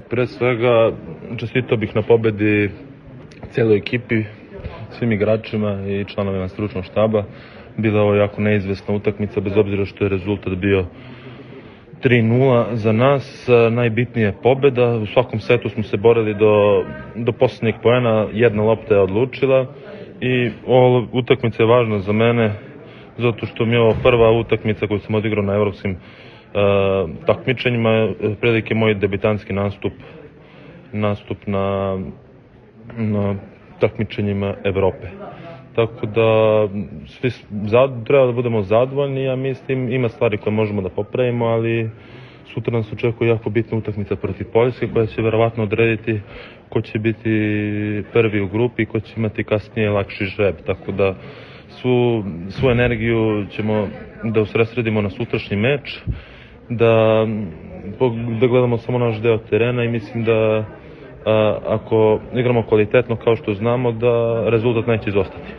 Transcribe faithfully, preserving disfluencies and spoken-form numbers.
Pre svega, čestitao bih na pobedi cijeloj ekipi, svim igračima i članovima stručnog štaba. Bila je ovo jako neizvesna utakmica, bez obzira što je rezultat bio tri nula za nas. Najbitnija je pobeda. U svakom setu smo se borili do, do posljednjeg poena, jedna lopta je odlučila i ova utakmica je važna za mene zato što mi je ovo prva utakmica koju sam odigrao na evropskim uh, takmičenjima, prilike moj debitanski nastup nastup na, na takmičenjima Evrope. Tako da svi zad, treba da budemo zadovoljni, ja mislim, ima stvari koje možemo da popravimo, ali sutra nas očekuje jako bitna utakmica protiv Poljske koja će verovatno odrediti ko će biti prvi u grupi i ko će imati kasnije lakši žreb. Tako da svu, svu energiju ćemo da usredsredimo na sutrašnji meč, da, da gledamo samo naš deo terena i mislim da a, ako igramo kvalitetno kao što znamo, da rezultat neće izostati.